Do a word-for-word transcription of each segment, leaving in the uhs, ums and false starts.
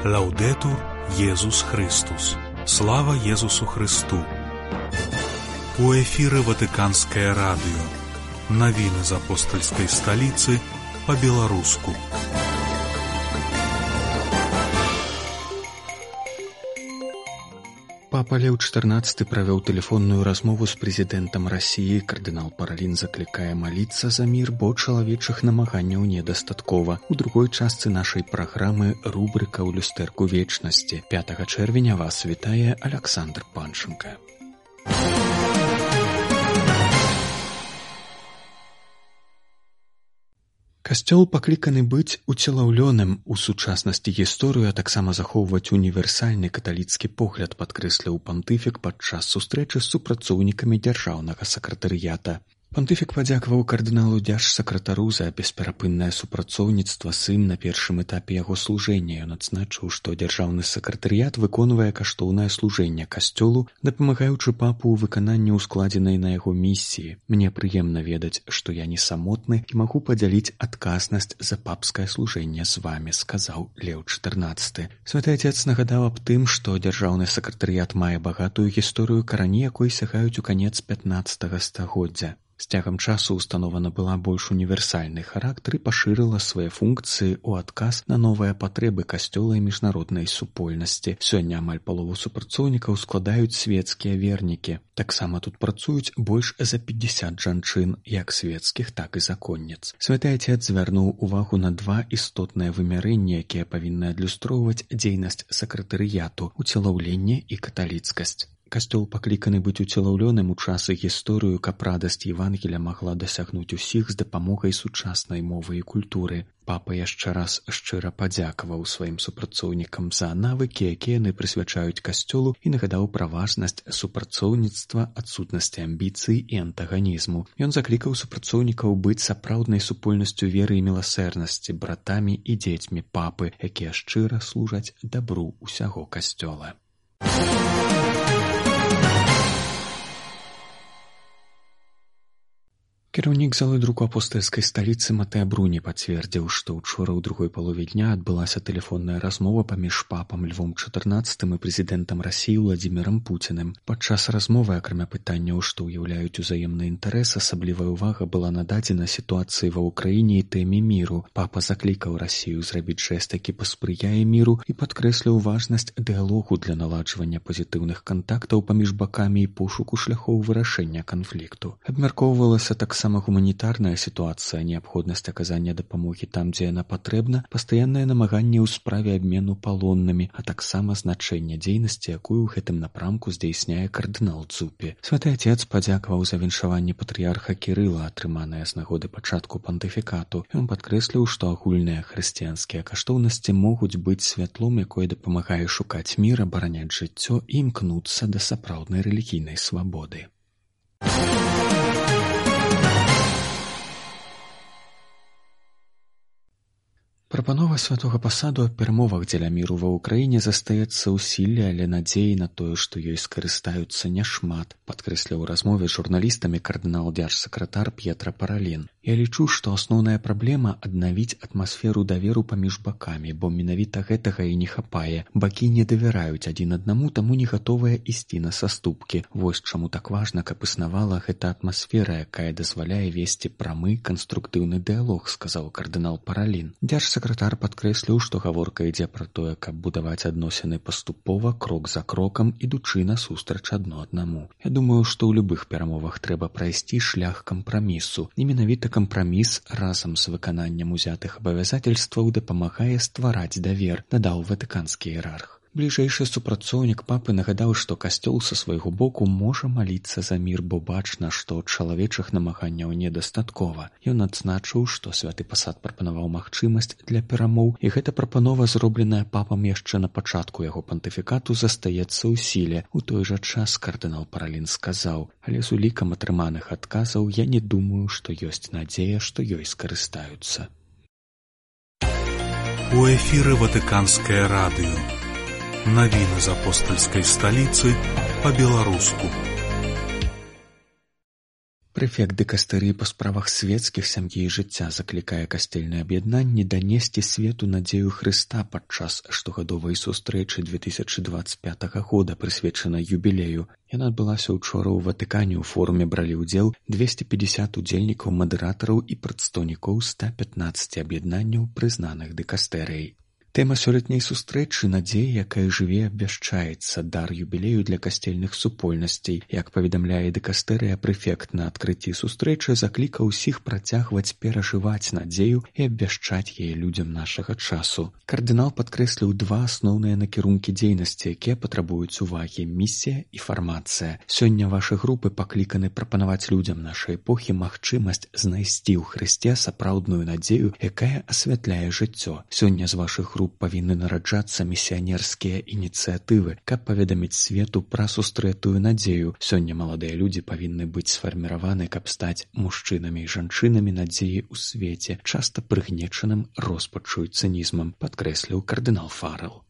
Лаўдэтур Езус Христус. Слава Езусу Христу. У эфіры Ватыканскае радыё. Навіны з апостальскай сталіцы па-беларуску. Папа Леў чатырнаццаты правёў тэлефонную размову з прэзідэнтам Расіі. Кардынал Паралін заклікае маліцца за мір, бо чалавечых намаганняў недастаткова. У другой частцы нашай праграмы рубрыка ў люстэрку вечнасці. пятага чэрвеня вас вітае Аляксандр Панченка. Касцёл пакліканы быць уцелаўлёным у сучаснасці гісторыю, а таксама захоўваць універсальны каталіцкі погляд, падкрэсліў пантыфік падчас сустрэчы з супрацоўнікамі дзяржаўнага сакратарыята. Пантыфік падзякаваў кардыналу дзяржсакратару за бесперапыннае супрацоўніцтва з ім на першым этапе яго служэння. Ён адзначыў, што дзяржаўны сакратарыят выконвае каштоўнае служэнне касцёлу, дапамагаючы папу ў выкананні ускладзенай на яго місіі. Мне прыемна ведаць, што я не самотны і магу падзяліць адказнасць за папскае служэнне з вамі, сказаў Леў чатырнаццаты. Святы Отец нагадаў аб тым, што дзяржаўны сакратарыят мае багатую гісторыю, карані якой сягаюць у канец пятнаццатага стагоддзя. З цягам часу установа набыла больш універсальны характар і пашырыла свае функцыі ў адказ на новыя патрэбы касцёла і міжнароднай супольнасці. Сёння амаль палову супрацоўнікаў складаюць свецкія вернікі. Таксама тут працуюць больш за пятьдесят жанчын, як свецкіх, так і законніц. Святы Отец звярнуў увагу на два істотныя вымярэнні, якія павінны адлюстроўваць дзейнасць сакратарыяту: уцелаўленне і каталіцкасць. Касцёл пакліканы быць уцелаўлёным у час і гісторыю, каб радасць Евангеля магла дасягнуць усіх з дапамогай сучаснай мовы і культуры. Папа яшчэ раз шчыра падзякаваў сваім супрацоўнікам за навыкі, якія яны прысвячаюць касцёлу, і нагадаў пра важнасць супрацоўніцтва, адсутнасці амбіцый і антаганізму. Ён заклікаў супрацоўнікаў быць сапраўднай супольнасцю веры і міласэрнасці, братамі і дзецьмі папы, якія шчыра служаць дабру ўсяго касцёла. Кіраўнік залы друку апостальскай сталіцы Матэа Бруні пацвердзіў, што ўчора ў другой палове дня адбылася тэлефонная размова паміж папам Львом чатырнаццатым і прэзідэнтам Расіі Владзімірам Пуціним. Падчас размовы, акрамя пытанняў, што ўяўляюць узаемны інтарэс, асаблівая ўвага была нададзена сітуацыі ва ўкраіне і тэме міру. Папа заклікаў Расію зрабіць жэст, які паспрыяе міру, і падкрэсліў важнасць дыялогу для наладжвання пазітыўных кантактаў паміж бакамі і пошуку шляхоў вырашэння канфлікту. Абмяркоўвалася таксама Сама гуманітарная сітуацыя, неабходнасць аказання дапамогі там, дзе яна патрэбна, пастаяннае намаганне ў справе абмену палоннымі, а таксама значэнне дзейнасці, якую ў гэтым напрамку здзейсняе кардынал Дзупі. Святы Отец падзякаваў за віншаванне патрыярха Кірыла, атрыманае з нагоды пачатку пантыфікату. Ён падкрэсліў, што агульныя хрысціянскія каштоўнасці могуць быць святлом, якое дапамагае шукаць мір, абараняць жыццё і імкнуцца да сапраўднай рэлігійнай свабоды. Прапанова святога пасаду аб перамовах дзеля міру ва ўкраіне застаецца ў сіле, але надзеі на тое, што ёй скарыстаюцца, няшмат, падкрэсліў у размове з журналістамі кардынал дзяржсакратар П'етра Паралін. Я лічу, што асноўная праблема — аднавіць атмасферу даверу паміж бакамі, бо менавіта гэтага і не хапае. Бакі не давяраюць адзін аднаму, таму не гатовыя ісці на саступкі. Вось чаму так важна, каб існавала гэта атмасфера, якая дазваляе весці прамы канструктыўны дыялог, сказаў кардынал Паралін. Дзяржсакратар падкрэсліў, што гаворка ідзе пра тое, каб будаваць адносіны паступова, крок за крокам, ідучы насустрач адно аднаму. Я думаю, што ў любых перамовах трэба прайсці шлях кампрамісу. І менавіта кампраміс разам з выкананнем узятых абавязательстваў дапамагае ствараць давер, дадаў ватыканскі іерарх. Бліжэйшы супрацоўнік папы нагадаў, што касцёл са свайго боку можа маліцца за мір, бо бачна, што чалавечых намаганняў недастаткова. Ён адзначыў, што святы пасад прапанаваў магчымасць для перамоў, і гэта прапанова, зробленая папам яшчэ на пачатку яго пантыфікату, застаецца ў сіле. У той жа час кардынал Паралін сказаў: але з улікам атрыманых адказаў я не думаю, што ёсць надзея, што ёй скарыстаюцца. У эфіры Ватыканскае радыё. Навіны з апостальскай сталіцы па-беларуску. Прэфект дыкастэрыі па справах свецкіх, сям'і і жыцця заклікае касцельныя аб'яднанні данесці свету надзею Хрыста падчас штогадовай сустрэчы две тысячы дваццаць пятага года, прысвечанай юбілею. Яна адбылася ўчора ў Ватыкане. У форуме бралі ўдзел двесце пятьдесят удзельнікаў, мадэратараў і прадстаўнікоў ста пятнаццаці аб'яднанняў, прызнаных дыкастэрыяй. Тэма сёлетняй сустрэчы — надзея, якая жыве, абвяшчаецца, дар юбілею для касцельных супольнасцей. Як паведамляе дыкастэрыя, прэфект на адкрыцці сустрэчы заклікаў усіх працягваць перажываць надзею і абвяшчаць яе людзям нашага часу. Кардынал падкрэсліў два асноўныя накірункі дзейнасці, якія патрабуюць увагі: місія і фармацыя. Сёння вашы групы пакліканы прапанаваць людзям нашай эпохі магчымасць знайсці ў Хрысце сапраўдную надзею, якая асвятляе жыццё. Сёння з вашых груп павінны нараджацца місіянерскія ініцыятывы, каб паведаміць свету пра сустрэтую надзею. Сёння маладыя людзі павінны быць сфарміраваны, каб стаць мужчынамі і жанчынамі надзеі ў свеце, часта прыгнечаным роспаччу і цынізмам, падкрэсліў кардынал Фаррелл.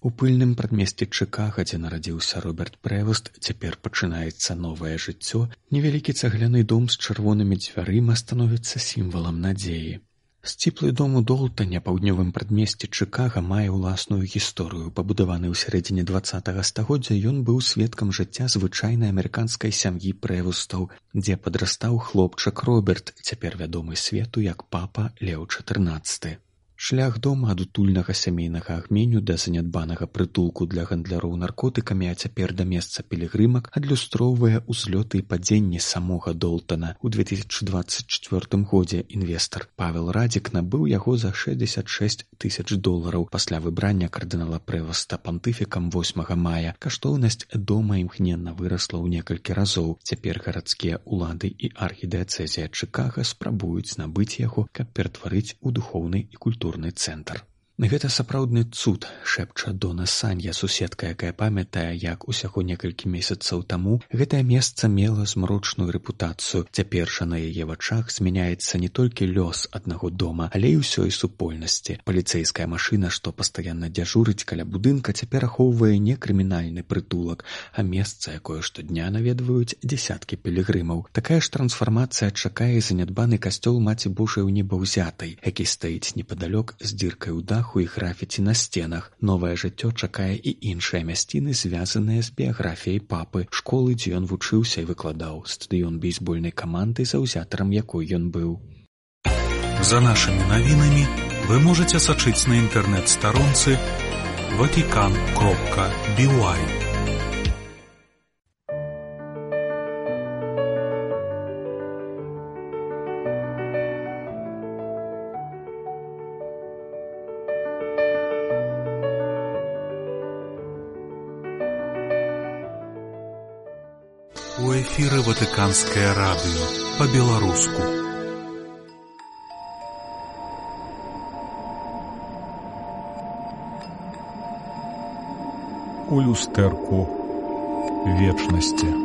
У пыльным прадмесці Чыкага, дзе нарадзіўся Роберт Прэвуст, цяпер пачынаецца новае жыццё. Невялікі цагляны дом з чырвонымі дзвярыма становіцца сімвалам надзеі. Сціплы дом у Долтане, паўднёвым прадмесці Чыкага, мае ўласную гісторыю. Пабудаваны ў сярэдзіне дваццатага стагоддзя, ён быў сведкам жыцця звычайнай амерыканскай сям'і Прэвустаў, дзе падрастаў хлопчык Роберт, цяпер вядомы свету як папа Леў чатырнаццаты. Шлях дома ад утульнага сямейнага агменю да занядбанага прытулку для гандляроў наркотыкамі, а цяпер да месца пілігрымак, адлюстроўвае ўзлёты і падзенні самога Долтана. У две тысячы дваццаць чвёртым годзе інвестар Павел Радзік набыў яго за шэсцьдзесят шэсць тысяч долараў. Пасля выбрання кардынала Прэвуста пантыфікам восьмага мая каштоўнасць дома імгненна вырасла ў некалькі разоў. Цяпер гарадскія ўлады і архідыяцэзія Чыкага спрабуюць набыць яго, каб ператварыць у духоўны і культурны цэнтр. Гэта сапраўдны цуд, шэпча Дона Санья, суседка, якая памятае, як усяго некалькі месяцаў таму гэтае месца мела змрочную рэпутацыю. Цяпер жа на яе вачах змяняецца не толькі лёс аднаго дома, але і ўсёй супольнасці. Паліцэйская машына, што пастаянна дзяжурыць каля будынка, цяпер ахоўвае не крымінальны прытулак, а месца, якое штодня наведваюць дзесяткі пілігрымаў. Такая ж трансфармацыя чакае занядбаны касцёл Маці Божай у Небаўзятай, які стаіць непадалёк з дзіркай у даху і графіці на сценах. Новае жыццё чакае і іншыя мясціны, звязаныя з біяграфіяй папы, школы, дзе ён вучыўся і выкладаў, стадыён бейсбольнай каманды, заўзятарам якой ён быў. За нашымі навінамі вы можаце сачыць на інтэрнэт-старонцы ватикан кропка би уай. У эфіры Ватыканскае радыё па-беларуску. У люстэрку вечнасці.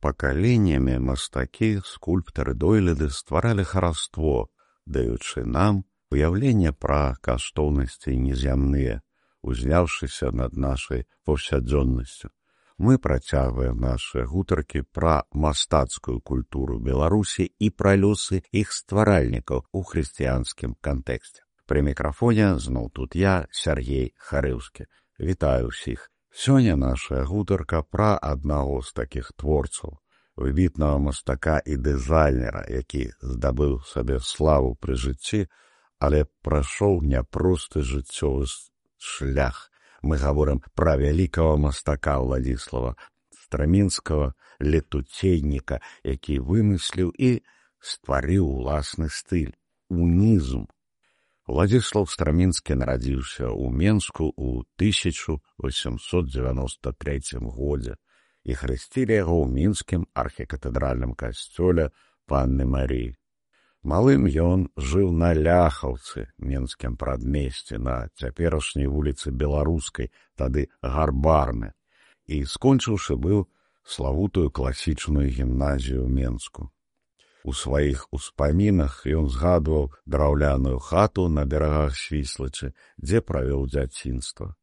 Пакаленнямі мастакі, скульптары, дойліды стваралі хараство, даючы нам уяўленне пра каштоўнасці незямныя, узняўшыся над нашай паўсядзённасцю. Мы працягваем нашы гутаркі пра мастацкую культуру Беларусі і пра лёсы іх стваральнікаў у хрысціянскім кантэксце. Пры мікрафоне зноў тут я, Сяргей Харыўскі. Вітаю ўсіх. Сёння наша гутарка пра аднаго з такіх творцаў, выбітнага мастака і дызайнера, які здабыў сабе славу пры жыцці, але прайшоў няпросты жыццёвы шлях. Мы гаворым пра вялікага мастака Владзіслава Страмінскага, летуцейніка, які вымысліў і стварыў уласны стыль — унізм. Владзіслаў Страмінскі нарадзіўся ў Менску ў тысяча восемьсот девяносто третьем годзе і хрысцілі яго ў мінскім архікатэдральным касцёле Панны Марыі. Малым ён жыў на Ляхаўцы, менскім прадмесці, на цяперашняй вуліцы Беларускай, тады Гарбарны, і, скончыўшы, быў славутую класічную гімназію ў Менску. У сваіх успамінах ён згадваў драўляную хату на берагах Свіслачы, дзе правёў дзяцінства.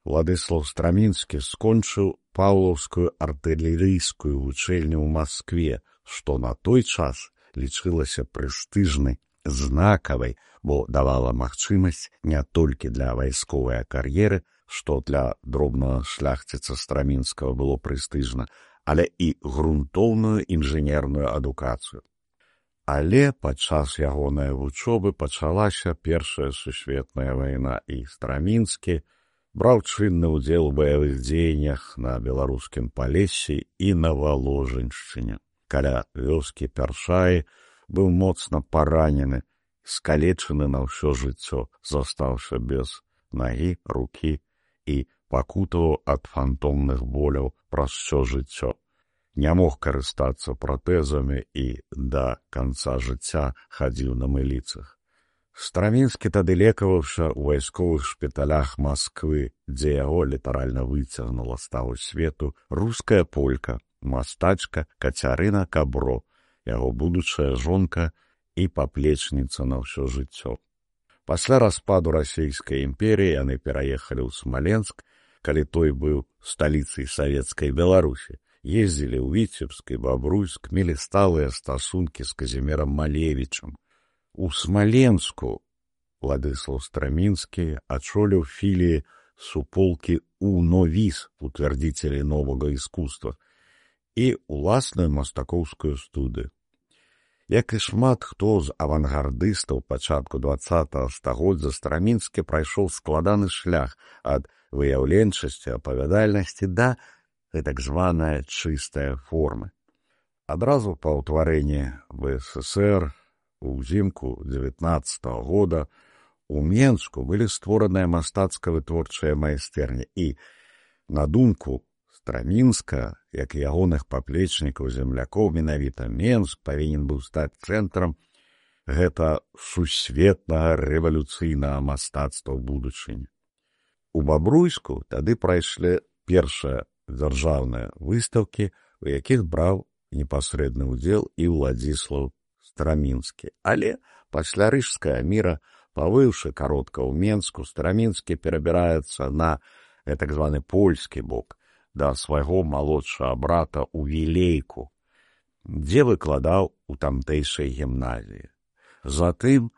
Владыслаў Страмінскі скончыў Паўлаўскую артылерыйскую вучэльню ў Маскве, што на той час лічылася прэстыжнай, знакавай, бо давала магчымасць не толькі для вайсковай кар'еры, што для дробнага шляхціца Страмінскага было прэстыжна, але і грунтоўную інжынерную адукацыю. Але падчас ягонай вучобы пачалася Першая сусветная вайна, і Страмінскі браў чынны ўдзел у баявых дзеяннях на беларускім Палессі і на Валожыншчыне. Каля вёскі Першаі быў моцна паранены, скалечаны на ўсё жыццё, застаўся без нагі, рукі і пакутаваў ад фантомных боляў праз усё жыццё. Не мог карыстацца пратэзамі і да канца жыцця хадзіў на мыліцах. Страмінскі тады лекаваўся ў вайсковых шпіталях Масквы, дзе яго літаральна выцягнула з таго свету руская полька, мастачка Кацярына Кабро, яго будучая жонка і паплечніца на ўсё жыццё. Пасля распаду расійскай імперіі яны пераехалі ў Смаленск, калі той быў сталіцай савецкай Беларусі. Ездзілі ў Віцебск і Бабруйск, мелі сталыя стасункі з Казімірам Малевічам. У Смаленску Владыслаў Страмінскі ачоліў філіі суполкі УНОВІС, утвердзіцелей новага іскусства, і уласную мастакоўскую студыю. Як і шмат хто з авангардыстаў пачатку дваццатага стагоддзя, Страмінскі прайшоў складаны шлях ад выяўленчасці, апавядальнасці да гэтак званая чыстая формы. Адразу па ўтварэнні ВССР узімку дзевятнаццатага года у Менску былі створаныя мастацка-вытворчыя майстэрні, і, на думку Страмінска, як і ягоных паплечнікаў землякоў, менавіта Менск павінен быў стаць цэнтрам гэта сусветнага рэвалюцыйнага мастацтва ў будучыні. У Бабруйску тады прайшлі першыя дзяржаўныя выстаўкі, у якіх браў непасрэдны ўдзел і Владзіслаў Страмінскі. Але пасля Рыжскага міра, павыўшы каротка ў Менску, Страмінскі перабіраецца на так званы польскі бок, да свайго малодшага брата ў Вілейку, дзе выкладаў у тамтэйшай гімназіі. Затым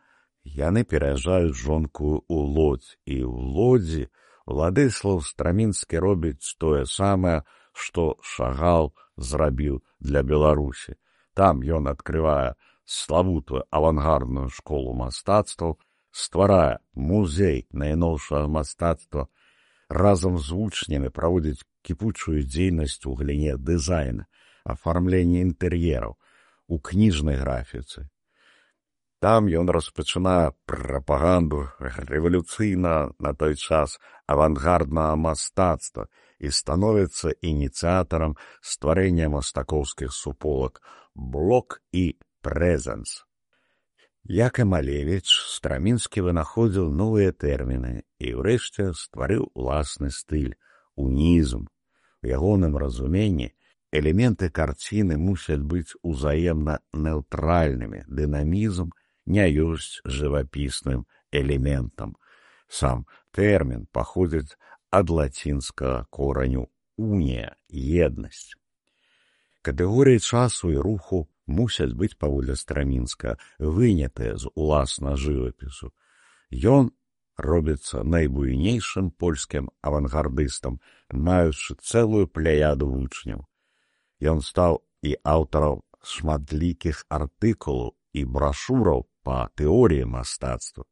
яны пераязджаюць жонку ў Лодзь, і ў Лодзі Владыслаў Страмінскі робіць тое самае, што Шагал зрабіў для Беларусі. Там ён адкрывае славутую авангардную школу мастацтваў, стварае музей найноўшага мастацтва, разам з вучнямі праводзіць кіпучую дзейнасць у галіне дызайна, афармлення інтэр'ераў, у кніжнай графіцы. Там ён распачынае прапаганду рэвалюцыйна на той час авангарднага мастацтва і становіцца ініцыятарам стварэння мастакоўскіх суполак «Блок» і «Прэзэнс». Як і Малевіч, Страмінскі вынаходзіў новыя тэрміны і ўрэшце стварыў уласны стыль – унізм. У ягоным разуменні элементы карціны мусяць быць узаемна нейтральнымі, дынамізм не ёсць жывапісным элементам. Сам тэрмін паходзіць ад лацінскага кораню «унія» – «еднасць». Катэгорыі часу і руху мусяць быць, паводле Страмінска, вынятыя з уласна жывапісу. Ён робіцца найбуйнейшым польскім авангардыстам, маючы цэлую пляяду вучняў. Ён стаў і аўтарам шматлікіх артыкулаў і брашураў па тэорыі мастацтва.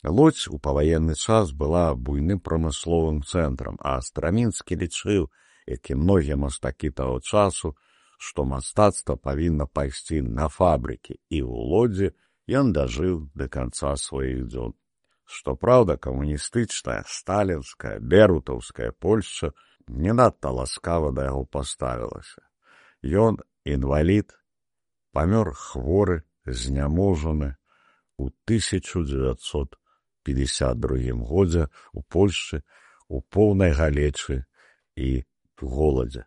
Лодзь у паваенны час была буйным прамысловым цэнтрам, а Страмінскі лічыў, як і многія мастакі таго часу, што мастацтва павінна пайсці на фабрыкі, і ў Лодзі ён дажыў да канца сваіх дзён. Што праўда, камуністычная, сталінская, берутаўская Польшча не надта ласкава да яго паставілася. Ён, інвалід, памёр хворы, зняможаны у тысяча дзевяцьсот пятьдесят другім годзе у Польшчы у поўнай галечы і голадзе.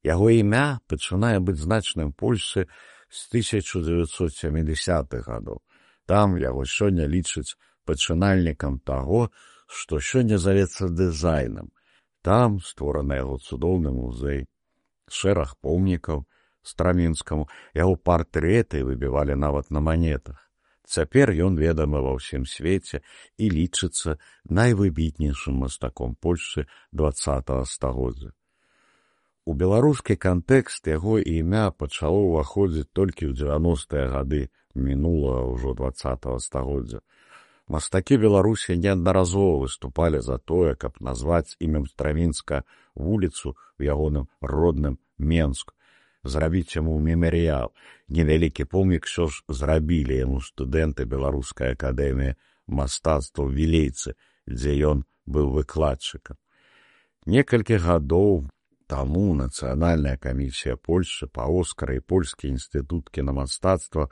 Яго імя пачынае быць значным Польшчы з тысяча дзевяцьсот сямідзясятых гадоў. Там яго сёння лічаць пачынальнікам таго, што сёння завецца дызайнам. Там створаны яго цудоўны музей, шэраг помнікаў Страмінскаму, яго партрэты выбівалі нават на манетах. Цяпер ён ведамы ва ўсім свеце і лічыцца найвыбітнейшым мастаком Польшчы дваццатага стагоддзя. У беларускі кантэкст яго імя пачало ўваходзіць толькі ў дзевяностыя гады мінулага ўжо дваццатага стагоддзя. Мастакі Беларусі неаднаразова выступалі за тое, каб назваць імем Страмінска вуліцу ў ягоным родным Менску, зрабіць яму мемарыял. Невялікі помнік ўсё ж зрабілі яму студэнты Беларускай акадэміі мастацтваў Вілейцы, дзе ён быў выкладчыкам. Некалькі гадоў таму Нацыянальная камісія Польшчы па Оскара і Польскі інстытут кінамастацтва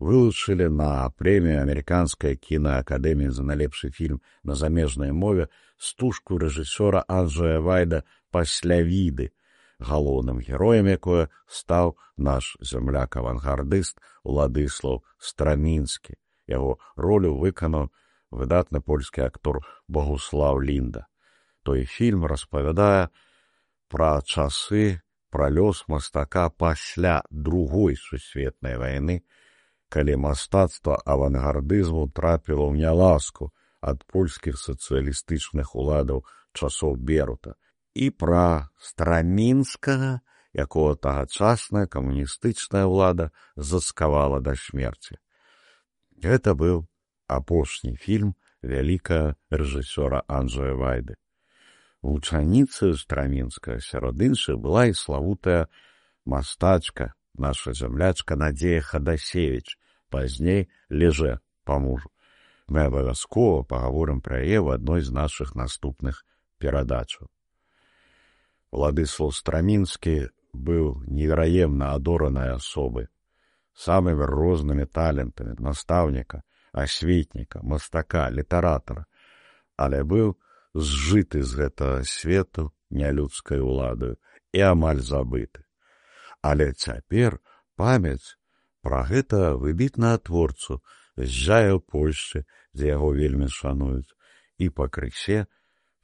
вылучылі на прэмію Амерыканскай кінаакадэміі за найлепшы фільм на замежнай мове стужку рэжысёра Анджэя Вайда «Паслявіды», галоўным героем якое стаў наш зямляк-авангардыст Уладыслаў Страмінскі. Яго ролю выканаў выдатны польскі актор Богуслаў Лінда. Той фільм распавядае пра часы, пра лёс мастака пасля другой сусветнай вайны, калі мастацтва авангардызму трапіла ў няласку ад польскіх сацыялістычных уладаў часоў Берута, і пра Страмінскага, якога тагачасная камуністычная ўлада заскавала да смерці. Гэта быў апошні фільм вялікага рэжысёра Анджэя Вайды. Вучаніцаю Страмінскага сярод іншых была і славутая мастачка, наша зямлячка Надзея Хадасевіч, пазней Леже па мужу. Мы абавязкова пагаворым пра яе ў адной з нашых наступных перадачаў. Уладыслаў Страмінскі быў невераемна адоранай асобай, самымі рознымі талентамі настаўніка, асветніка, мастака, літаратара, але быў зжыты з гэтага свету нялюдскай уладаю і амаль забыты. Але цяпер памяць пра гэта выбітнага творцу зжае ў Польшчы, дзе яго вельмі шануюць, і пакрысе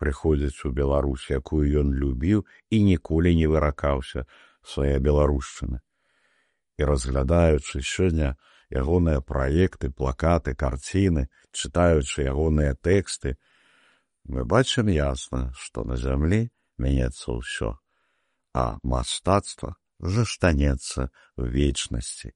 прыходзіць у Беларусь, якую ён любіў і ніколі не выракаўся свае беларушчыны. І разглядаючы сёння ягоныя праекты, плакаты, карціны, чытаючы ягоныя тэксты, мы бачым ясна, што на зямлі мяняецца ўсё, а мастацтва застанецца ў вечнасці.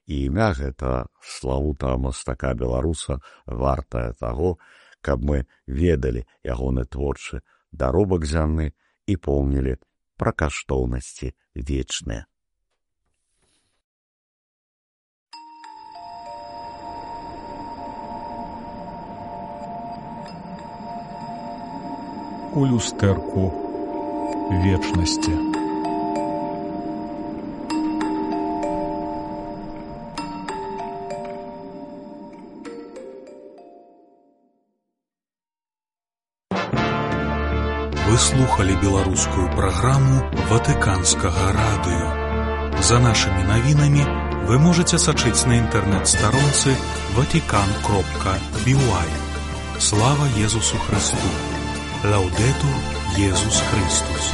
І імя гэтага славутага мастака-беларуса вартае таго, каб мы ведалі ягоны творчы даробак зямны і помнілі пра каштоўнасці вечныя. У люстэрку вечнасці. Вы слухали беларускую праграму Ватыканскага радыё. За нашымі навінамі вы можаце сачыць на інтэрнэт-старонцы ватикан кропка би уай. Слава Езусу Христу! Лаудетур Езус Христос!